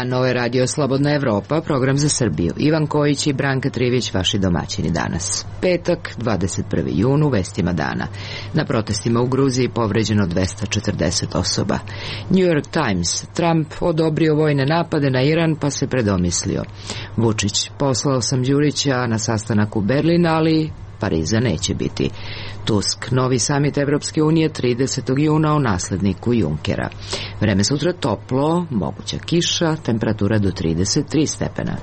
dan, ovo je Radio Slobodna Evropa, program za Srbiju. Ivan Kojić i Branka Trivić, vaši domaćini danas. Petak, 21. jun, u vestima dana. Na protestima u Gruziji povređeno 240 osoba. New York Times, Trump odobrio vojne napade na Iran pa se predomislio. Vučić, poslao sam Đurića na sastanak u Berlin, ali Pariza neće biti. Tusk, novi samit Evropske unije 30. juna o nasledniku Junkera. Vreme sutra toplo, moguća kiša, temperatura do 33 stepena.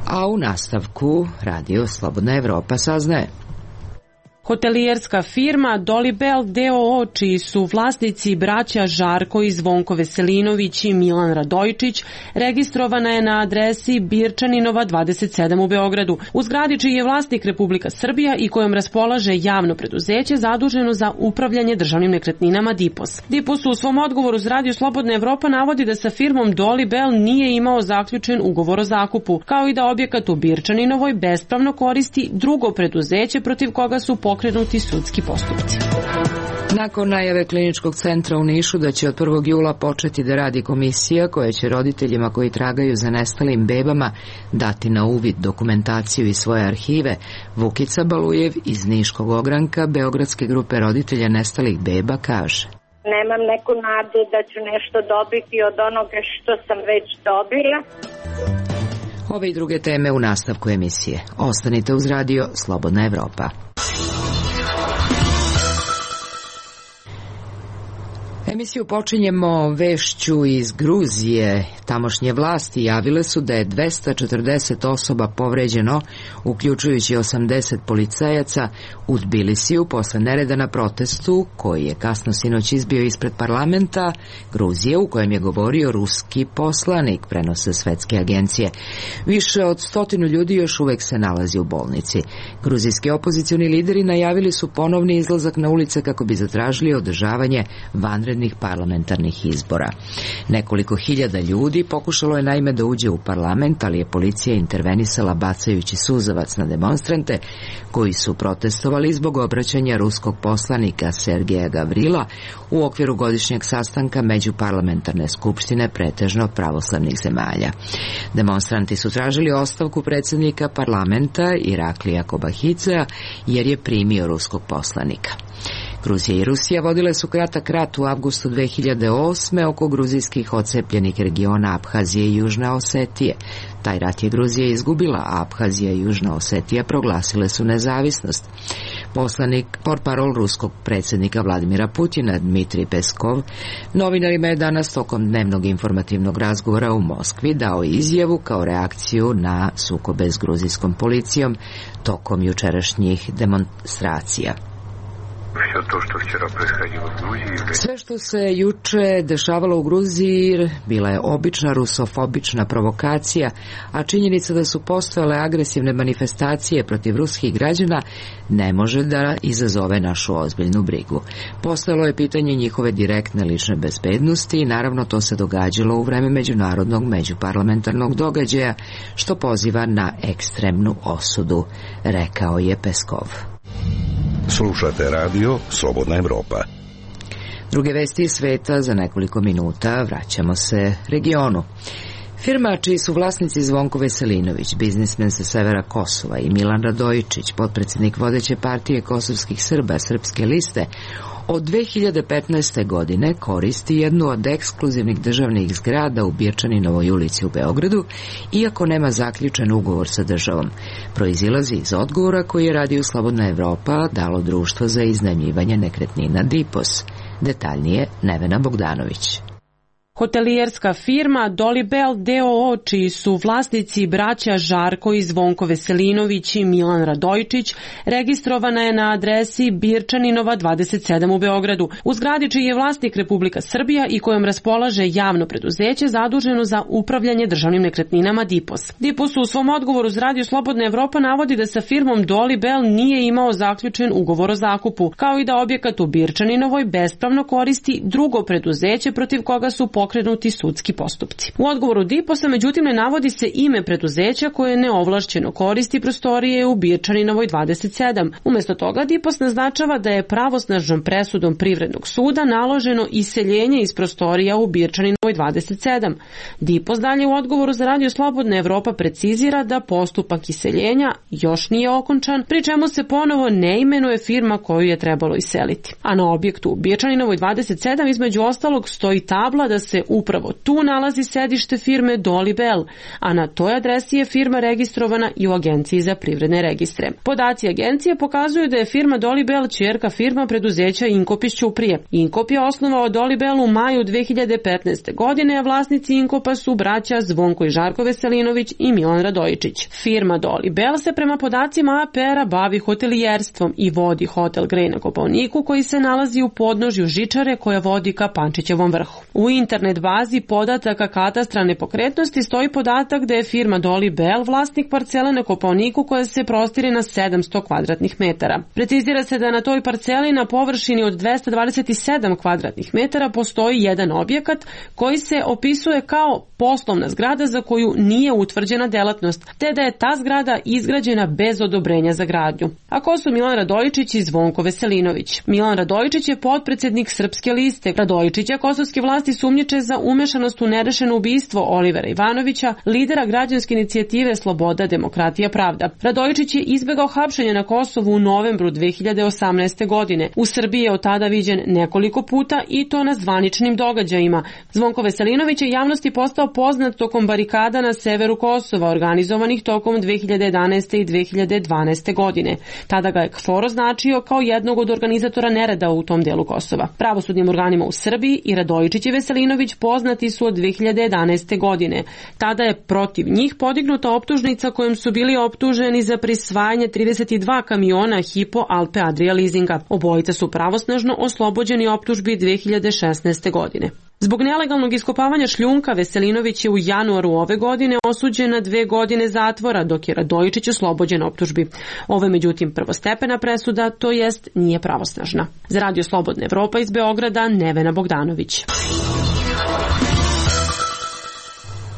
A u nastavku Radio Slobodna Evropa saznaje. Hotelijerska firma Dolibel d.o.o. čiji su vlasnici braća Žarko i Zvonko Veselinović i Milan Radojičić registrovana je na adresi Birčaninova 27 u Beogradu. U zgradi čiji je vlasnik Republika Srbija i kojom raspolaže javno preduzeće zaduženo za upravljanje državnim nekretninama DIPOS. DIPOS u svom odgovoru za Radio Slobodna Evropa navodi da sa firmom Dolibel nije imao zaključen ugovor o zakupu, kao i da objekat u Birčaninovoj bespravno koristi drugo preduzeće protiv koga su pokrenuti sudski postupci. Nakon najave Kliničkog centra u Nišu da će od 1. jula početi da radi komisija koja će roditeljima koji tragaju za nestalim bebama dati na uvid dokumentaciju iz svoje arhive, Vukica Balujev iz Niškog ogranka Beogradske grupe roditelja nestalih beba kaže: Nemam neku nadu da ću nešto dobiti od onoga što sam već dobila. Ove i druge teme u nastavku emisije. Ostanite uz Radio Slobodna Evropa. Emisiju počinjemo vešću iz Gruzije. Tamošnje vlasti javile su da je 240 osoba povređeno, uključujući 80 policajaca, u Tbilisiju posle nereda na protestu koji je kasno sinoć izbio ispred parlamenta Gruzije, u kojem je govorio ruski poslanik, prenose svetske agencije. Više od 100 ljudi još uvek se nalazi u bolnici. Gruzijski opozicioni lideri najavili su ponovni izlazak na ulice kako bi zatražili održavanje vanrednih parlamentarnih izbora. Nekoliko hiljada ljudi pokušalo je naime da uđe u parlament, ali je policija intervenisala bacajući suzavac na demonstrante koji su protestovali zbog obraćanja ruskog poslanika Sergeja Gavrila u okviru godišnjeg sastanka Međuparlamentarne skupštine pretežno pravoslavnih zemalja. Demonstranti su tražili ostavku predsjednika parlamenta Iraklija Kobahidžea jer je primio ruskog poslanika. Gruzija i Rusija vodile su kratak rat u avgustu 2008. oko gruzijskih odcepljenih regiona Abhazije i Južne Osetije. Taj rat je Gruzija izgubila, a Abhazija i Južna Osetija proglasile su nezavisnost. Portparol ruskog predsjednika Vladimira Putina, Dmitrij Peskov, novinarima je danas tokom dnevnog informativnog razgovora u Moskvi dao izjavu kao reakciju na sukobe s gruzijskom policijom tokom jučerašnjih demonstracija. Sve što se juče dešavalo u Gruziji bila je obična rusofobična provokacija, a činjenica da su postojale agresivne manifestacije protiv ruskih građana ne može da izazove našu ozbiljnu brigu. Postojalo je pitanje njihove direktne lične bezbednosti i naravno to se događalo u vreme međunarodnog međuparlamentarnog događaja, što poziva na ekstremnu osudu, rekao je Peskov. Slušate Radio Slobodna Evropa. Druge vesti iz sveta za nekoliko minuta, vraćamo se regionu. Firma čiji su vlasnici Zvonko Veselinović, biznismen sa severa Kosova, i Milan Radojičić, potpredsjednik vodeće partije kosovskih Srba Srpske liste, od 2015. godine koristi jednu od ekskluzivnih državnih zgrada u Birčaninovoj ulici u Beogradu, iako nema zaključen ugovor sa državom. Proizilazi iz odgovora koji je Radio Slobodna Evropa dalo društvo za iznajmljivanje nekretnina DIPOS. Detaljnije Nevena Bogdanović. Hotelijerska firma Dolibel d.o.o. čiji su vlasnici braća Žarko i Zvonko Veselinović i Milan Radojičić registrovana je na adresi Birčaninova 27 u Beogradu. U zgradi čiji je vlasnik Republika Srbija i kojom raspolaže javno preduzeće zaduženo za upravljanje državnim nekretninama DIPOS. DIPOS u svom odgovoru za Radio Slobodna Evropa navodi da sa firmom Dolibel nije imao zaključen ugovor o zakupu, kao i da objekat u Birčaninovoj bespravno koristi drugo preduzeće protiv koga su pokrenuti pokrenuti sudski postupci. U odgovoru DIPOS-a međutim ne navodi se ime preduzeća koje neovlašćeno koristi prostorije u Birčaninovoj 27. Umesto toga DIPOS naznačava da je pravosnažnom presudom Privrednog suda naloženo iseljenje iz prostorija u Birčaninovoj 27. DIPOS dalje u odgovoru za Radio Slobodna Evropa precizira da postupak iseljenja još nije okončan, pri čemu se ponovo ne imenuje firma koju je trebalo iseliti. A na objektu u Birčaninovoj 27 između ostalog stoji tabla da se upravo tu nalazi sedište firme Dolly Bell, a na toj adresi je firma registrovana i u Agenciji za privredne registre. Podaci agencije pokazuju da je firma Dolly Bell ćerka firma preduzeća Inkop iz Ćuprije. Inkop je osnovao Dolly Bell u maju 2015. godine, a vlasnici Inkopa su braća Zvonko i Žarko Veselinović i Milan Radojičić. Firma Dolly Bell se prema podacima APR-a bavi hotelijerstvom i vodi hotel Grej na Kopaoniku koji se nalazi u podnožju žičare koja vodi ka Pančićevom vrhu. U internet bazi podataka katastra nepokretnosti stoji podatak da je firma Dolly Bell vlasnik parcele na Kopaoniku koja se prostire na 700 kvadratnih metara. Precizira se da na toj parceli na površini od 227 kvadratnih metara postoji jedan objekat koji se opisuje kao poslovna zgrada za koju nije utvrđena delatnost, te da je ta zgrada izgrađena bez odobrenja za gradnju. A ko su Milan Radojičić i Zvonko Veselinović? Milan Radojičić je potpredsednik Srpske liste. Radojičića kosovske vlasti sumnjiče za umešanost u nerešeno ubistvo Olivera Ivanovića, lidera građanske inicijative Sloboda, demokratija, pravda. Radojičić je izbegao hapšenje na Kosovu u novembru 2018. godine. U Srbiji je od tada viđen nekoliko puta i to na zvaničnim događajima. Zvonko Veselinović je javnosti postao poznat tokom barikada na severu Kosova, organizovanih tokom 2011. i 2012. godine. Tada ga je KFOR označio kao jednog od organizatora nereda u tom delu Kosova. Pravosudnim organima u Srbiji i Radojičić i Veselinović poznati su od 2011. godine. Tada je protiv njih podignuta optužnica kojom su bili optuženi za prisvajanje 32 kamiona Hypo Alpe Adria leasinga. Obojica su pravosnažno oslobođeni optužbi 2016. godine. Zbog nelegalnog iskopavanja šljunka Veselinović je u januaru ove godine osuđen na 2 godine zatvora, dok je Radojičić oslobođen optužbi. Ovo je međutim prvostepena presuda, to jest nije pravosnažna. Za Radio Slobodna Evropa iz Beograda, Nevena Bogdanović.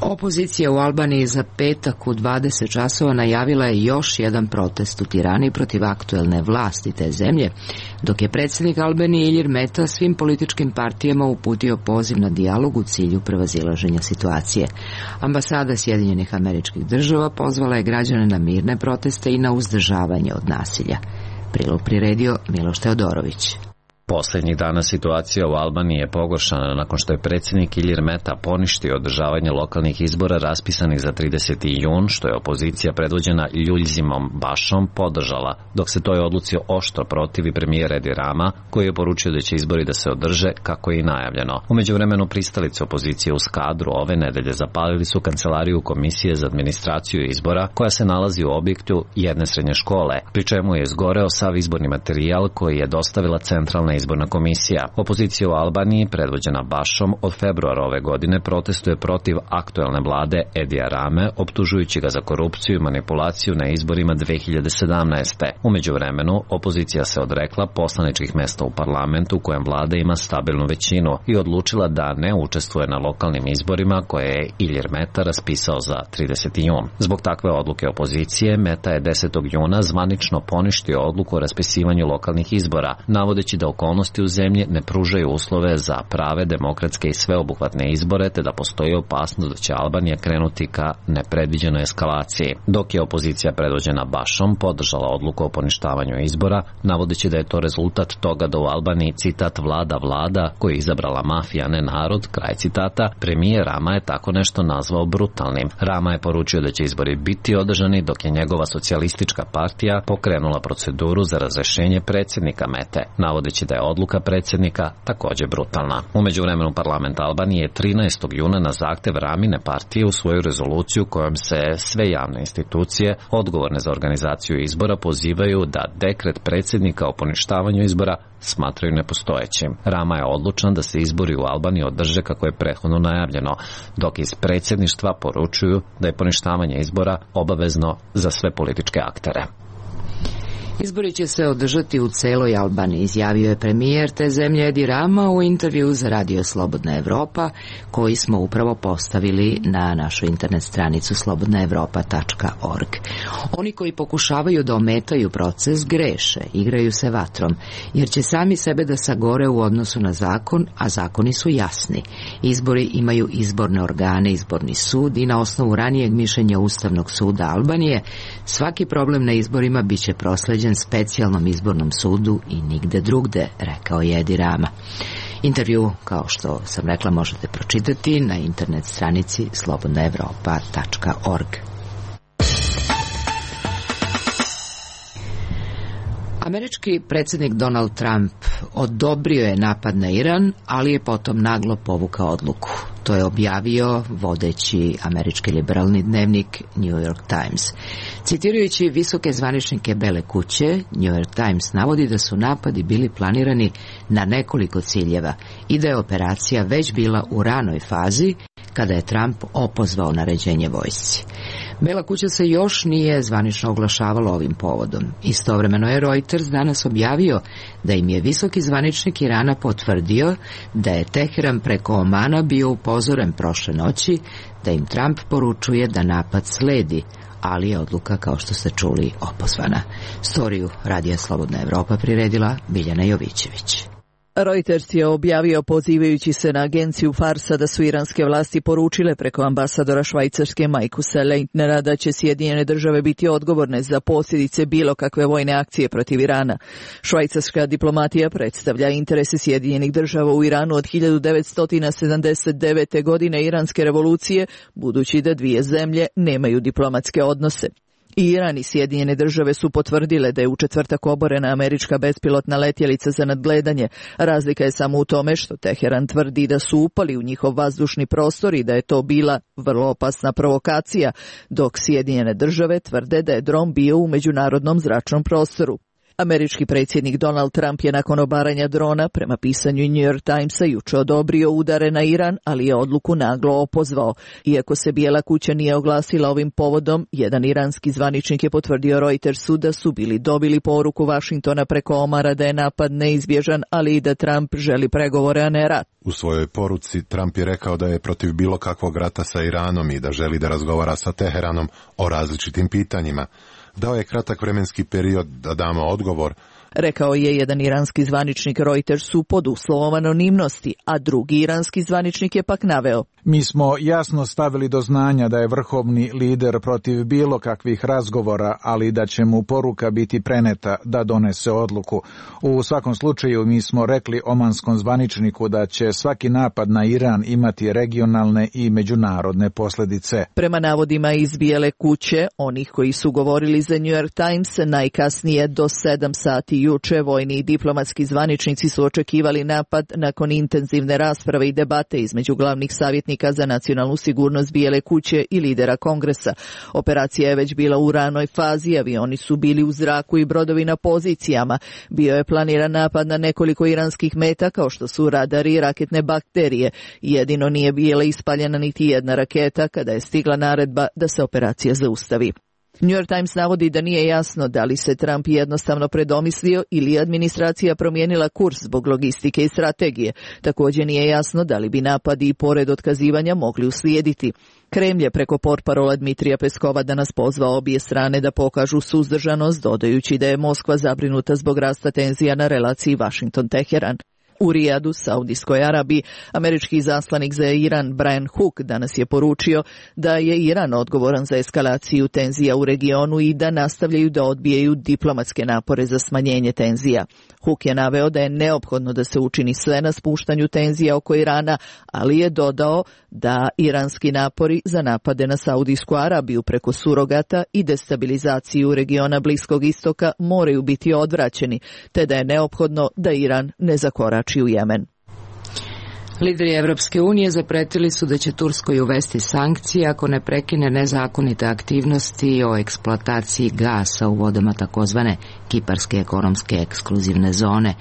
Opozicija u Albaniji za petak u 20 časova najavila je još jedan protest u Tirani protiv aktuelne vlasti te zemlje, dok je predsjednik Albanije Ilir Meta svim političkim partijama uputio poziv na dijalog u cilju prevazilaženja situacije. Ambasada Sjedinjenih Američkih Država pozvala je građane na mirne proteste i na uzdržavanje od nasilja. Prilog priredio Miloš Teodorović. Posljednjih dana situacija u Albaniji je pogoršana nakon što je predsjednik Ilir Meta poništio održavanje lokalnih izbora raspisanih za 30. jun, što je opozicija predvođena Ljuljzimom Bašom podržala, dok se toj odluci oštro protivi premijer Edi Rama, koji je poručio da će izbori da se održe kako je i najavljeno. U međuvremenu pristalice opozicije u Skadru ove nedelje zapalili su kancelariju Komisije za administraciju izbora, koja se nalazi u objektu jedne srednje škole, pri čemu je izgoreo sav izborni materijal koji je dostavila Centralna izborna komisija. Opozicija u Albaniji, predvođena Bašom, od februara ove godine protestuje protiv aktuelne vlade Edija Rame, optužujući ga za korupciju i manipulaciju na izborima 2017. U međuvremenu, opozicija se odrekla poslaničkih mesta u parlamentu u kojem vlada ima stabilnu većinu i odlučila da ne učestvuje na lokalnim izborima koje je Ilir Meta raspisao za 30. jun. Zbog takve odluke opozicije, Meta je 10. juna zvanično poništio odluku o raspisivanju lokalnih izbora, navodeći da okolnosti u zemlji ne pružaju uslove za prave, demokratske i sveobuhvatne izbore, te da postoji opasnost da će Albanija krenuti ka nepredviđenoj eskalaciji. Dok je opozicija predvođena Bašom podržala odluku o poništavanju izbora, navodeći da je to rezultat toga da u Albaniji, citat, vlada koju je izabrala mafija, ne narod, kraj citata, premijer Rama je tako nešto nazvao brutalnim. Rama je poručio da će izbori biti održani, dok je njegova socijalistička partija pokrenula proceduru za razrešenje predsjednika Mete, navodeći da je odluka predsjednika također brutalna. U međuvremenu parlament Albanije 13. juna na zahtev Ramine partije u svoju rezoluciju kojom se sve javne institucije odgovorne za organizaciju izbora pozivaju da dekret predsjednika o poništavanju izbora smatraju nepostojećim. Rama je odlučan da se izbori u Albaniji održe kako je prethodno najavljeno, dok iz predsjedništva poručuju da je poništavanje izbora obavezno za sve političke aktere. Izbori će se održati u celoj Albaniji, izjavio je premijer te zemlje Edi Rama u intervju za Radio Slobodna Evropa, koji smo upravo postavili na našu internet stranicu slobodnaevropa.org. Oni koji pokušavaju da ometaju proces greše, igraju se vatrom, jer će sami sebe da sagore u odnosu na zakon, a zakoni su jasni. Izbori imaju izborne organe, izborni sud i na osnovu ranijeg mišljenja Ustavnog suda Albanije, svaki problem na izborima biće prosleđen specijalnom izbornom sudu i nigde drugde, rekao je Edi Rama. Intervju, kao što sam rekla, možete pročitati na internet stranici slobodnaevropa.org. Američki predsjednik Donald Trump odobrio je napad na Iran, ali je potom naglo povukao odluku. To je objavio vodeći američki liberalni dnevnik New York Times. Citirajući visoke zvaničnike Bele kuće, New York Times navodi da su napadi bili planirani na nekoliko ciljeva i da je operacija već bila u ranoj fazi kada je Trump opozvao naređenje vojsci. Bela kuća se još nije zvanično oglašavala ovim povodom. Istovremeno je Reuters danas objavio da im je visoki zvaničnik Irana potvrdio da je Teheran preko Omana bio upozoren prošle noći, da im Trump poručuje da napad sledi, ali je odluka, kao što ste čuli, opozvana. Storiju Radija Slobodna Evropa priredila Biljana Jovićević. Reuters je objavio, pozivajući se na agenciju Farsa, da su iranske vlasti poručile preko ambasadora Švajcarske Markusa Leitnera da će Sjedinjene države biti odgovorne za posljedice bilo kakve vojne akcije protiv Irana. Švajcarska diplomatija predstavlja interese Sjedinjenih država u Iranu od 1979. godine iranske revolucije, budući da dvije zemlje nemaju diplomatske odnose. Iran i Sjedinjene države su potvrdile da je u četvrtak oborena američka bespilotna letjelica za nadgledanje. Razlika je samo u tome što Teheran tvrdi da su upali u njihov vazdušni prostor i da je to bila vrlo opasna provokacija, dok Sjedinjene države tvrde da je dron bio u međunarodnom zračnom prostoru. Američki predsjednik Donald Trump je nakon obaranja drona, prema pisanju New York Timesa, juče odobrio udare na Iran, ali je odluku naglo opozvao. Iako se Bijela kuća nije oglasila ovim povodom, jedan iranski zvaničnik je potvrdio Reutersu da su bili dobili poruku Vašingtona preko Omara da je napad neizbježan, ali i da Trump želi pregovore, a ne rat. U svojoj poruci Trump je rekao da je protiv bilo kakvog rata sa Iranom i da želi da razgovara sa Teheranom o različitim pitanjima. Dao je kratak vremenski period da damo odgovor, rekao je jedan iranski zvaničnik Reutersu pod uslovom anonimnosti, a drugi iranski zvaničnik je pak naveo: mi smo jasno stavili do znanja da je vrhovni lider protiv bilo kakvih razgovora, ali da će mu poruka biti preneta da donese odluku. U svakom slučaju mi smo rekli omanskom zvaničniku da će svaki napad na Iran imati regionalne i međunarodne posljedice. Prema navodima iz Bijele kuće, onih koji su govorili za New York Times, najkasnije do 7 sati juče vojni i diplomatski zvaničnici su očekivali napad nakon intenzivne rasprave i debate između glavnih savjetnika za nacionalnu sigurnost Bijele kuće i lidera Kongresa. Operacija je već bila u ranoj fazi, avioni su bili u zraku i brodovi na pozicijama. Bio je planiran napad na nekoliko iranskih meta, kao što su radari i raketne bakterije. Jedino nije bila ispaljena niti jedna raketa kada je stigla naredba da se operacija zaustavi. New York Times navodi da nije jasno da li se Trump jednostavno predomislio ili je administracija promijenila kurs zbog logistike i strategije. Također nije jasno da li bi napadi i pored otkazivanja mogli uslijediti. Kremlj je preko portparola Dmitrija Peskova danas pozvao obje strane da pokažu suzdržanost, dodajući da je Moskva zabrinuta zbog rasta tenzija na relaciji Washington-Teheran. U Rijadu, Saudijskoj Arabiji, američki izaslanik za Iran Brian Hook danas je poručio da je Iran odgovoran za eskalaciju tenzija u regionu i da nastavljaju da odbijaju diplomatske napore za smanjenje tenzija. Hook je naveo da je neophodno da se učini sve na spuštanju tenzija oko Irana, ali je dodao da iranski napori za napade na Saudijsku Arabiju preko surogata i destabilizaciju regiona Bliskog istoka moraju biti odvraćeni, te da je neophodno da Iran ne zakorači u Jemen. Lideri Evropske unije zapretili su da će Turskoj uvesti sankcije ako ne prekine nezakonite aktivnosti o eksploataciji gasa u vodama takozvane Kiparske ekonomske ekskluzivne zone.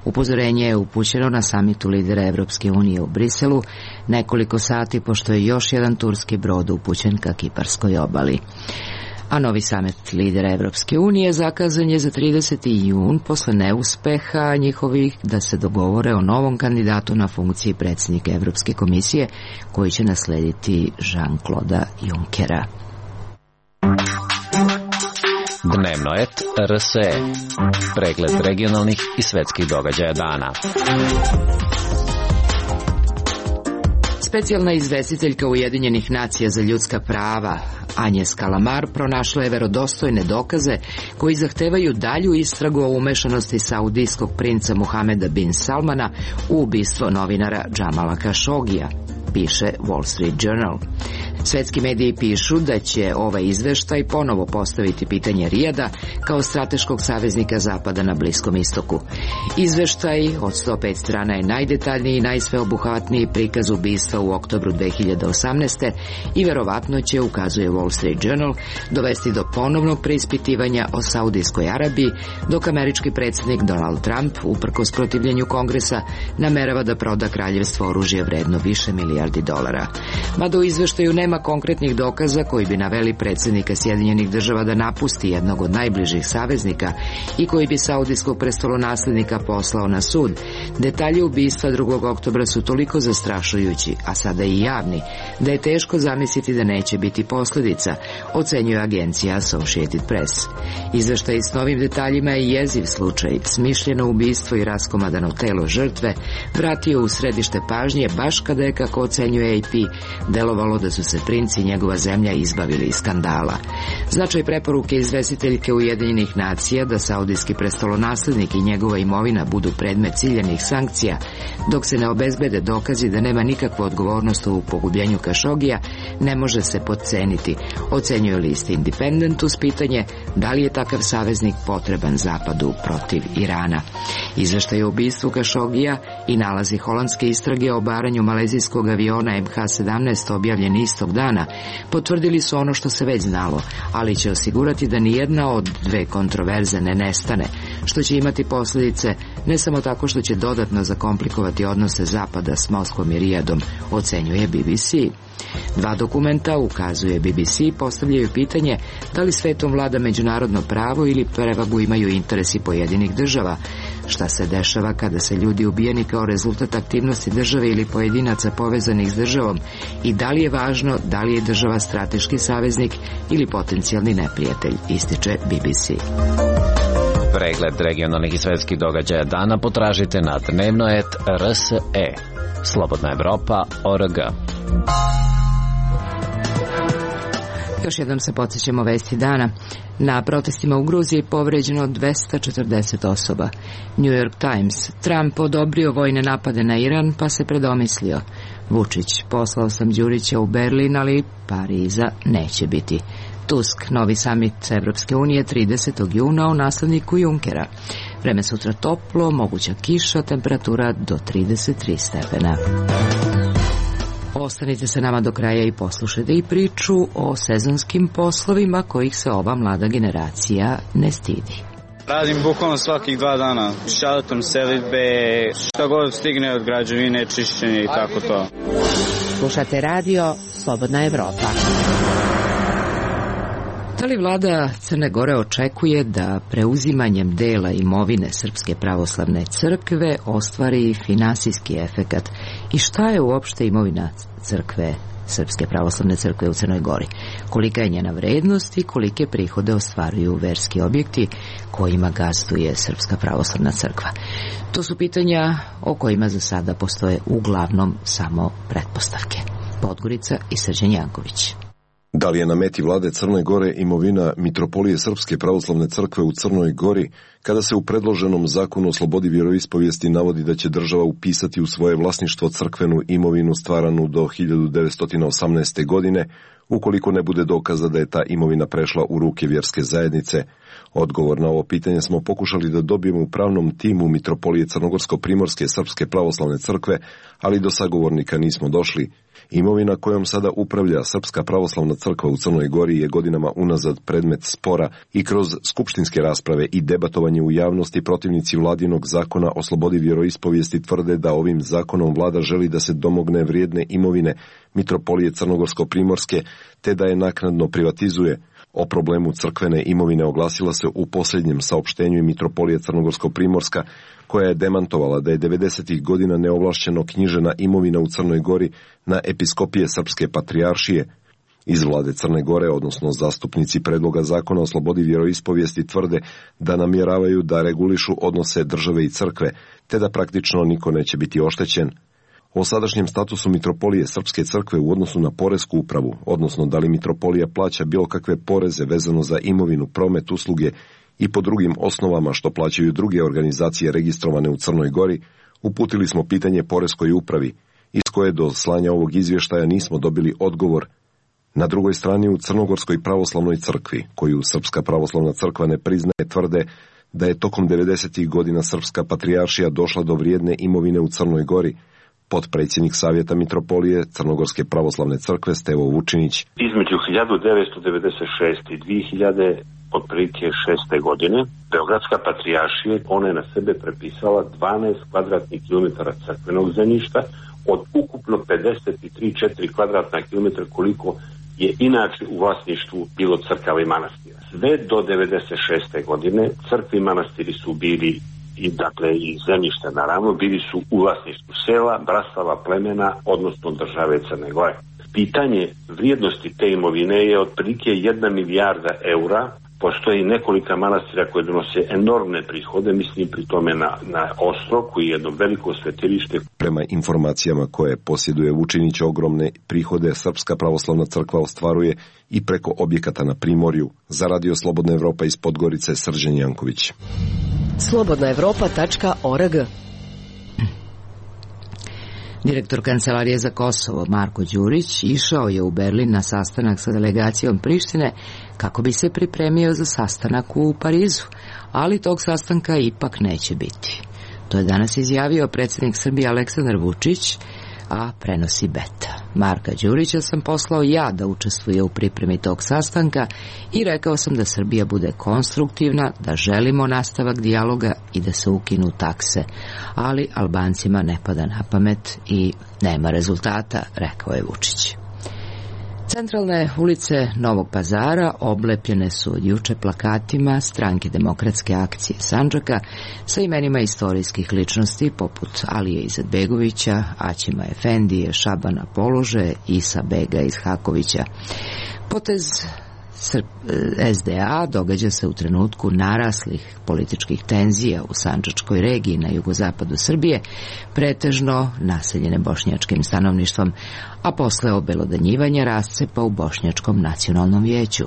Upozorenje je upućeno na samitu lidera Evropske unije u Briselu nekoliko sati pošto je još jedan turski brod upućen ka Kiparskoj obali. A novi samet lidera Evropske unije zakazan je za 30. jun posle neuspeha njihovih da se dogovore o novom kandidatu na funkciji predsjednika Evropske komisije koji će naslediti Jean-Claude Junckera. Dnevno et RSE. Pregled regionalnih i svetskih događaja dana. Specijalna izvestiteljka Ujedinjenih nacija za ljudska prava Agnes Kalamar pronašla je verodostojne dokaze koji zahtevaju dalju istragu o umešanosti saudijskog princa Muhameda bin Salmana u ubistvo novinara Džamala Kašogija, piše Wall Street Journal. Svetski mediji pišu da će ovaj izveštaj ponovo postaviti pitanje Rijada kao strateškog saveznika Zapada na Bliskom istoku. Izveštaj od 105 strana je najdetaljniji i najsveobuhvatniji prikaz ubistva u oktobru 2018. i verovatno će, ukazuje Wall Street Journal, dovesti do ponovnog preispitivanja o Saudijskoj Arabiji, dok američki predsjednik Donald Trump, uprkos protivljenju Kongresa, namerava da proda kraljevstvo oružje vredno više milijardi dolara. Mada u izveštaju nema konkretnih dokaza koji bi naveli predsjednika Sjedinjenih država da napusti jednog od najbližih saveznika i koji bi saudijskog prestolonaslednika poslao na sud, detalji ubistva 2. oktobra su toliko zastrašujući, a sada i javni, da je teško zamisliti da neće biti posljedica, ocenjuje agencija Associated Press. Izveštaj s novim detaljima je jeziv slučaj, smišljeno ubistvo i raskomadano telo žrtve vratio u središte pažnje baš kada je, kako ocenjuje AP, delovalo da su se princ i njegova zemlja izbavili iz skandala. Značaj preporuke izvestiteljke Ujedinjenih nacija da saudijski prestolonaslednik i njegova imovina budu predmet ciljanih sankcija, dok se ne obezbede dokazi da nema nikakvu odgovornost u pogubljenju Kašogija, ne može se podceniti, ocenjuje list Independent uz pitanje da li je takav saveznik potreban Zapadu protiv Irana. Izveštaj o ubistvu Kašogija i nalazi holandske istrage o obaranju malezijskog aviona MH17 objavljeni istog dana potvrdili su ono što se već znalo, ali će osigurati da nijedna od dve kontroverze ne nestane, što će imati posljedice ne samo tako što će dodatno zakomplikovati odnose Zapada s Moskvom i Rijadom, ocenjuje BBC. Dva dokumenta, ukazuje BBC, postavljaju pitanje da li svetom vlada međunarodno pravo ili prevagu imaju interesi pojedinih država, šta se dešava kada se ljudi ubijeni kao rezultat aktivnosti države ili pojedinaca povezanih s državom i da li je važno da li je država strateški saveznik ili potencijalni neprijatelj, ističe BBC. Pregled regionalnih i svetskih događaja dana potražite na dnevno.rs.e. Slobodna Evropa.org. Još jednom se podsjećamo vesti dana. Na protestima u Gruziji povređeno 240 osoba. New York Times. Trump odobrio vojne napade na Iran pa se predomislio. Vučić. Poslao sam Đurića u Berlin, ali Pariza neće biti. Tusk. Novi samit Evropske unije 30. juna o nasledniku Junckera. Vreme sutra toplo, moguća kiša, temperatura do 33 stepena. Ostanite sa nama do kraja i poslušajte i priču o sezonskim poslovima kojih se ova mlada generacija ne stidi. Radim bukvalno svakih 2 dana. Šaltom, selidbe, šta god stigne od građevine, čišćenje i tako to. Slušate radio Slobodna Evropa. Da li vlada Crne Gore očekuje da preuzimanjem dela imovine Srpske pravoslavne crkve ostvari finansijski efekat? I šta je uopšte imovina crkve, Srpske pravoslavne crkve u Crnoj Gori? Kolika je njena vrednost i kolike prihode ostvaruju verski objekti kojima gazduje Srpska pravoslavna crkva? To su pitanja o kojima za sada postoje uglavnom samo pretpostavke. Podgorica i Srđan Janković. Da li je na meti vlade Crne Gore imovina Mitropolije Srpske pravoslavne crkve u Crnoj Gori, kada se u predloženom zakonu o slobodi vjeroispovijesti navodi da će država upisati u svoje vlasništvo crkvenu imovinu stvaranu do 1918. godine, ukoliko ne bude dokaza da je ta imovina prešla u ruke vjerske zajednice? Odgovor na ovo pitanje smo pokušali da dobijemo u pravnom timu Mitropolije Crnogorsko-Primorske Srpske pravoslavne crkve, ali do sagovornika nismo došli. Imovina kojom sada upravlja Srpska pravoslavna crkva u Crnoj Gori je godinama unazad predmet spora i kroz skupštinske rasprave i debatovanje u javnosti protivnici vladinog zakona o slobodi vjeroispovijesti tvrde da ovim zakonom vlada želi da se domogne vrijedne imovine Mitropolije Crnogorsko-Primorske te da je naknadno privatizuje. O problemu crkvene imovine oglasila se u posljednjem saopštenju i mitropolije Crnogorsko-Primorska, koja je demantovala da je 90. godina neovlašćeno knjižena imovina u Crnoj Gori na episkopije Srpske patrijaršije. Iz vlade Crne Gore, odnosno zastupnici predloga zakona o slobodi vjeroispovijesti, tvrde da namjeravaju da regulišu odnose države i crkve, te da praktično niko neće biti oštećen. O sadašnjem statusu mitropolije Srpske crkve u odnosu na poresku upravu, odnosno da li mitropolija plaća bilo kakve poreze vezano za imovinu, promet, usluge i po drugim osnovama što plaćaju druge organizacije registrovane u Crnoj Gori, uputili smo pitanje poreskoj upravi, iz koje do slanja ovog izvještaja nismo dobili odgovor. Na drugoj strani u Crnogorskoj pravoslavnoj crkvi, koju Srpska pravoslavna crkva ne priznaje, tvrde da je tokom 90. godina Srpska patrijaršija došla do vrijedne imovine u Crnoj Gori. Potpredsjednik Savjeta mitropolije Crnogorske pravoslavne crkve Stevo Vučinić. Između 1996. i 2006. godine Beogradska patrijaršija, ona je na sebe prepisala 12 kvadratnih kilometara crkvenog zemljišta od ukupno 53,4 kvadratna kilometra koliko je inače u vlasništvu bilo crkava i manastira. Sve do 96. godine crkve i manastiri su bili i dakle i zemljišta naravno bili su u vlasništvu sela, brastava, plemena, odnosno države Crne Gore. Pitanje vrijednosti te imovine je otprilike 1 milijarda eura. Postoji nekolika manastira koje donose enormne prihode, mislim pri tome na Ostrog, koji je jedno veliko svetilište. Prema informacijama koje posjeduje Vučinić, ogromne prihode Srpska pravoslavna crkva ostvaruje i preko objekata na Primorju. Za Radio Slobodna Evropa iz Podgorice, Srđan Janković. slobodnaevropa.org. Direktor Kancelarije za Kosovo Marko Đurić išao je u Berlin na sastanak sa delegacijom Prištine kako bi se pripremio za sastanak u Parizu, ali tog sastanka ipak neće biti. To je danas izjavio predsjednik Srbije Aleksandar Vučić, a prenosi Beta. Marka Đurića sam poslao ja da učestvuje u pripremi tog sastanka i rekao sam da Srbija bude konstruktivna, da želimo nastavak dijaloga i da se ukinu takse, ali Albancima ne pada na pamet i nema rezultata, rekao je Vučić. Centralne ulice Novog Pazara oblepljene su od juče plakatima Stranke demokratske akcije Sandžaka sa imenima istorijskih ličnosti poput Alije Izetbegovića, Aćima Efendije, Šabana Polože, Isa Bega iz Hakovića. Potez SDA događa se u trenutku naraslih političkih tenzija u Sandžačkoj regiji na jugozapadu Srbije, pretežno naseljene bošnjačkim stanovništvom, a posle obelodanjivanja rascepa u Bošnjačkom nacionalnom vijeću.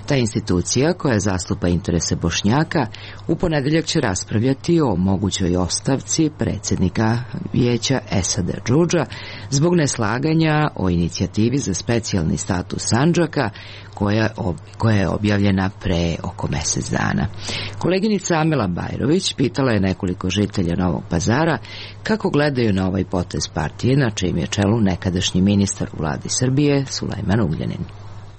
Ta institucija, koja zastupa interese Bošnjaka, u ponedeljak će raspravljati o mogućoj ostavci predsjednika vijeća Esada Džudža zbog neslaganja o inicijativi za specijalni status Sandžaka koja je objavljena pre oko mjesec dana. Koleginica Amela Bajrović pitala je nekoliko žitelja Novog Pazara kako gledaju na ovaj potez partije, na čijem je čelu nekadašnji ministar u vladi Srbije Sulejman Ugljanin.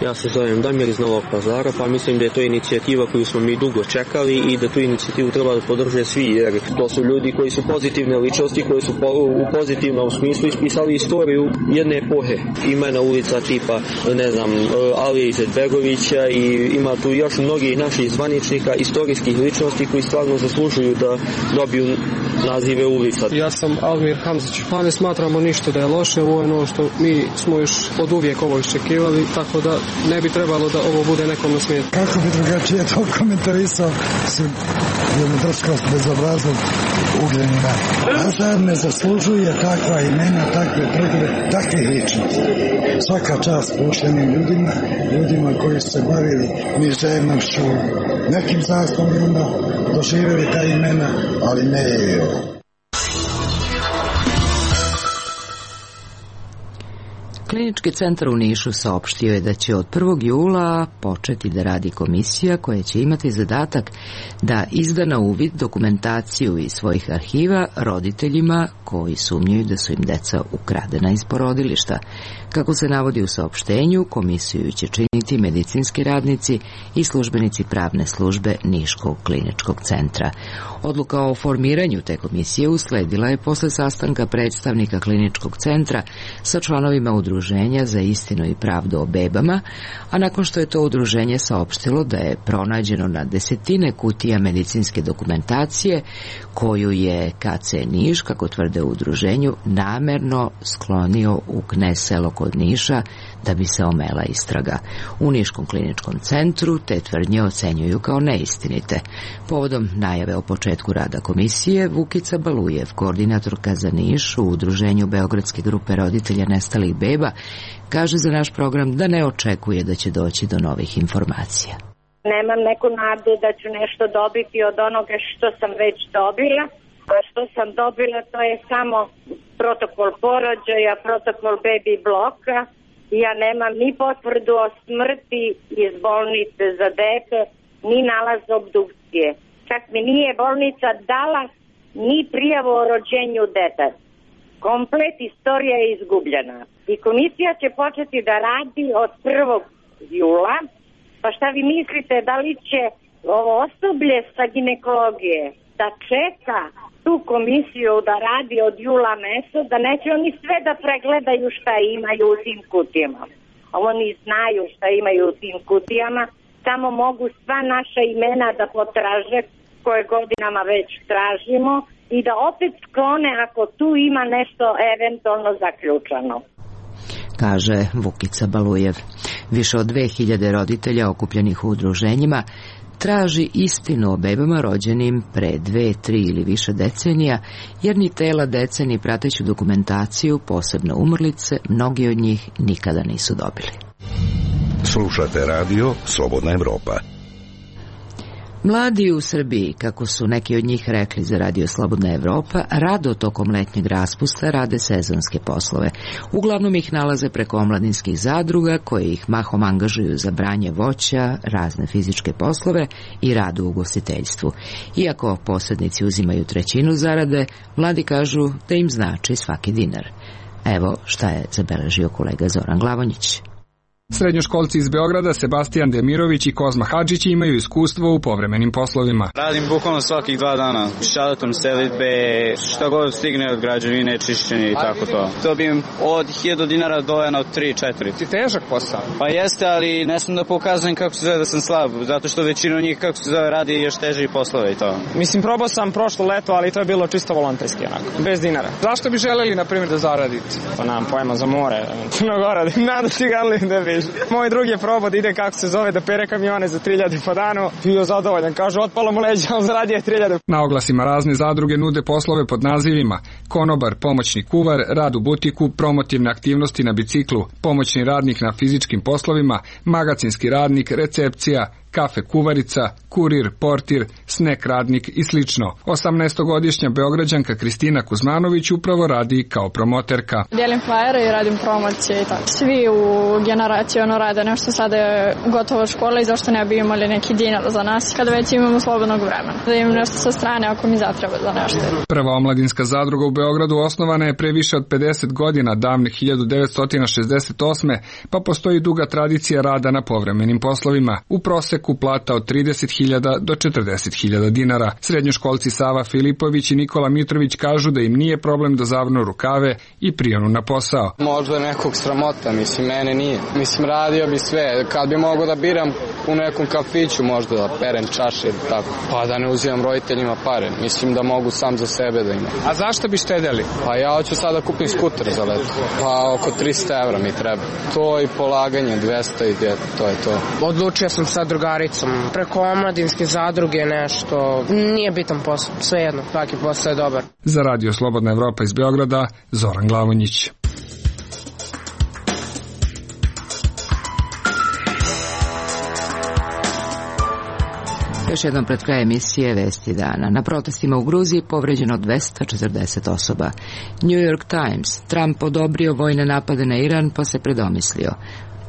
Ja se zovem Damir iz Novog Pazara, pa mislim da je to inicijativa koju smo mi dugo čekali i da tu inicijativu treba da podrže svi, jer to su ljudi koji su pozitivne ličnosti, koji su u pozitivnom smislu ispisali istoriju jedne epohe. Imena ulica tipa, ne znam, Alije Izetbegovića i ima tu još mnogih naših zvaničnika, istorijskih ličnosti koji stvarno zaslužuju da dobiju nazive ulica. Ja sam Almir Hamzić, pa ne smatramo ništa da je loše, ovo je ono što mi smo još od uvijek ovo iščekivali, tako da ne bi trebalo da ovo bude nekom na smijetu. Kako bi drugačije to komentarisao su jednu drskost bezobraznog Ugljanina. A sad ne zaslužuje takva imena, takve predove, takvih ličnosti. Svaka čast poštenim ljudima koji su se bavili književnošću, nekim zaslovima, doživjeli ta imena, ali ne je ovo. Klinički centar u Nišu saopštio je da će od 1. jula početi da radi komisija koja će imati zadatak da izda na uvid dokumentaciju iz svojih arhiva roditeljima koji sumnjaju da su im deca ukradena iz porodilišta. Kako se navodi u saopštenju, komisiju će činiti medicinski radnici i službenici pravne službe Niškog kliničkog centra. Odluka o formiranju te komisije usledila je posle sastanka predstavnika kliničkog centra sa članovima udruženja Udruženja za istinu i pravdu o bebama, a nakon što je to udruženje saopštilo da je pronađeno na desetine kutija medicinske dokumentacije koju je KC Niš, kako tvrde u udruženju, namerno sklonio u Knez selo kod Niša da bi se omela istraga. U Niškom kliničkom centru te tvrdnje ocenjuju kao neistinite. Povodom najave o početku rada komisije, Vukica Balujev, koordinatorka za Niš u udruženju Beogradske grupe roditelja nestalih beba, kaže za naš program da ne očekuje da će doći do novih informacija. Nemam neku nadu da ću nešto dobiti od onoga što sam već dobila, a što sam dobila to je samo protokol porođaja, protokol baby bloka. Ja nemam ni potvrdu o smrti iz bolnice za dete, ni nalaz obdukcije. Čak mi nije bolnica dala ni prijavu o rođenju deteta. Komplet istorija je izgubljena. I komisija će početi da radi od 1. jula. Pa šta vi mislite, da li će ovo osoblje sa ginekologije da čeka tu komisiju da radi od jula meseca, da neće oni sve da pregledaju šta imaju u tim kutijama. Oni znaju šta imaju u tim kutijama, samo mogu sva naša imena da potraže, koje godinama već tražimo, i da opet sklone ako tu ima nešto eventualno zaključano. Kaže Vukica Balujev. Više od 2000 roditelja okupljenih u udruženjima traži istinu o bebama rođenim pre 2, 3 ili više decenija, jer ni tela dece ni prateću dokumentaciju, posebno umrlice, mnogi od njih nikada nisu dobili. Slušate radio Slobodna Evropa. Mladi u Srbiji, kako su neki od njih rekli za radio Slobodna Evropa, rado tokom letnjeg raspusta rade sezonske poslove. Uglavnom ih nalaze preko omladinskih zadruga, koje ih mahom angažuju za branje voća, razne fizičke poslove i rad u ugostiteljstvu. Iako posrednici uzimaju 1/3 zarade, mladi kažu da im znači svaki dinar. Evo šta je zabeležio kolega Zoran Glavonjić. Srednjoškolci iz Beograda Sebastijan Demirović i Kozma Hadžić imaju iskustvo u povremenim poslovima. Radim bukvalno svakih 2 dana. Šalatom selitbe, šta god stigne od građevine, čišćenje i tako to. Dobijem od 1000 dinara do 3-4. Ti težak posao? Pa jeste, ali ne sam da pokazujem kako se zove da sam slab, zato što većina njih kako se zove radi još teže poslove i to. Mislim, probao sam prošlo leto, ali to je bilo čisto volonterski, onako, bez dinara. Zašto bi želeli, na primjer, da zaradite? Pa nam pojma za more, Crnogora, nada cigarli da bi. Moj drugi je probao da ide, kako se zove, da pere kamione za 3000 po danu. Bio zadovoljan, kaže, otpalo mu leđa, on zaradio 3000. Na oglasima razne zadruge nude poslove pod nazivima konobar, pomoćni kuvar, rad u butiku, promotivne aktivnosti na biciklu, pomoćni radnik na fizičkim poslovima, magacinski radnik, recepcija, kafe kuvarica, kurir, portir, snek radnik i slično. 18-godišnja Beograđanka Kristina Kuzmanović upravo radi kao promoterka. Dijelim flajere i radim promocije i tako. Svi u generaciji rade nešto, sada je gotova škola i zašto ne bi imali neki dinar za nas kada već imamo slobodnog vremena. Da imam nešto sa strane ako mi zatreba za nešto. Prva omladinska zadruga u Beogradu osnovana je pre više od 50 godina, davne 1968. pa postoji duga tradicija rada na povremenim poslovima. U proseku plata od 30.000 do 40.000 dinara. Srednjoškolci Sava Filipović i Nikola Mitrović kažu da im nije problem da zavnu rukave i prionu na posao. Možda nekog sramota, mislim, mene nije. Mislim, radio bi sve. Kad bi mogao da biram u nekom kafiću, možda da perem čaše, tako, pa da ne uzimam roditeljima pare. Mislim da mogu sam za sebe da imam. A zašto bi štedeli? Pa ja hoću sada kupim skuter za leto. Pa oko 300 evra mi treba. To i polaganje, 200 i to je to. Odlučio sam sa drugaricom preko omladinske zadruge nešto. Nije bitan posao, svejedno, svaki posao je dobar. Za radio Slobodna Evropa iz Beograda, Zoran Glavonjić. Još jednom pred kraj emisije Vesti dana. Na protestima u Gruziji povređeno 240 osoba. New York Times. Trump odobrio vojne napade na Iran pa se predomislio.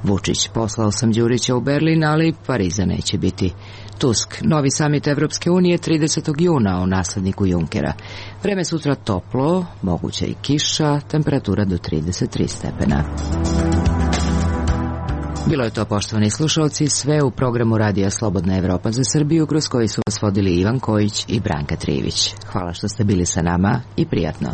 Vučić, poslao sam Đurića u Berlin, ali Pariza neće biti. Tusk, novi samit Evropske unije 30. juna o nasledniku Junkera. Vreme sutra toplo, moguća i kiša, temperatura do 33 stepena. Bilo je to, poštovani slušalci, sve u programu Radija Slobodna Evropa za Srbiju, kroz koji su vas vodili Ivan Kojić i Branka Trivić. Hvala što ste bili sa nama i prijatno.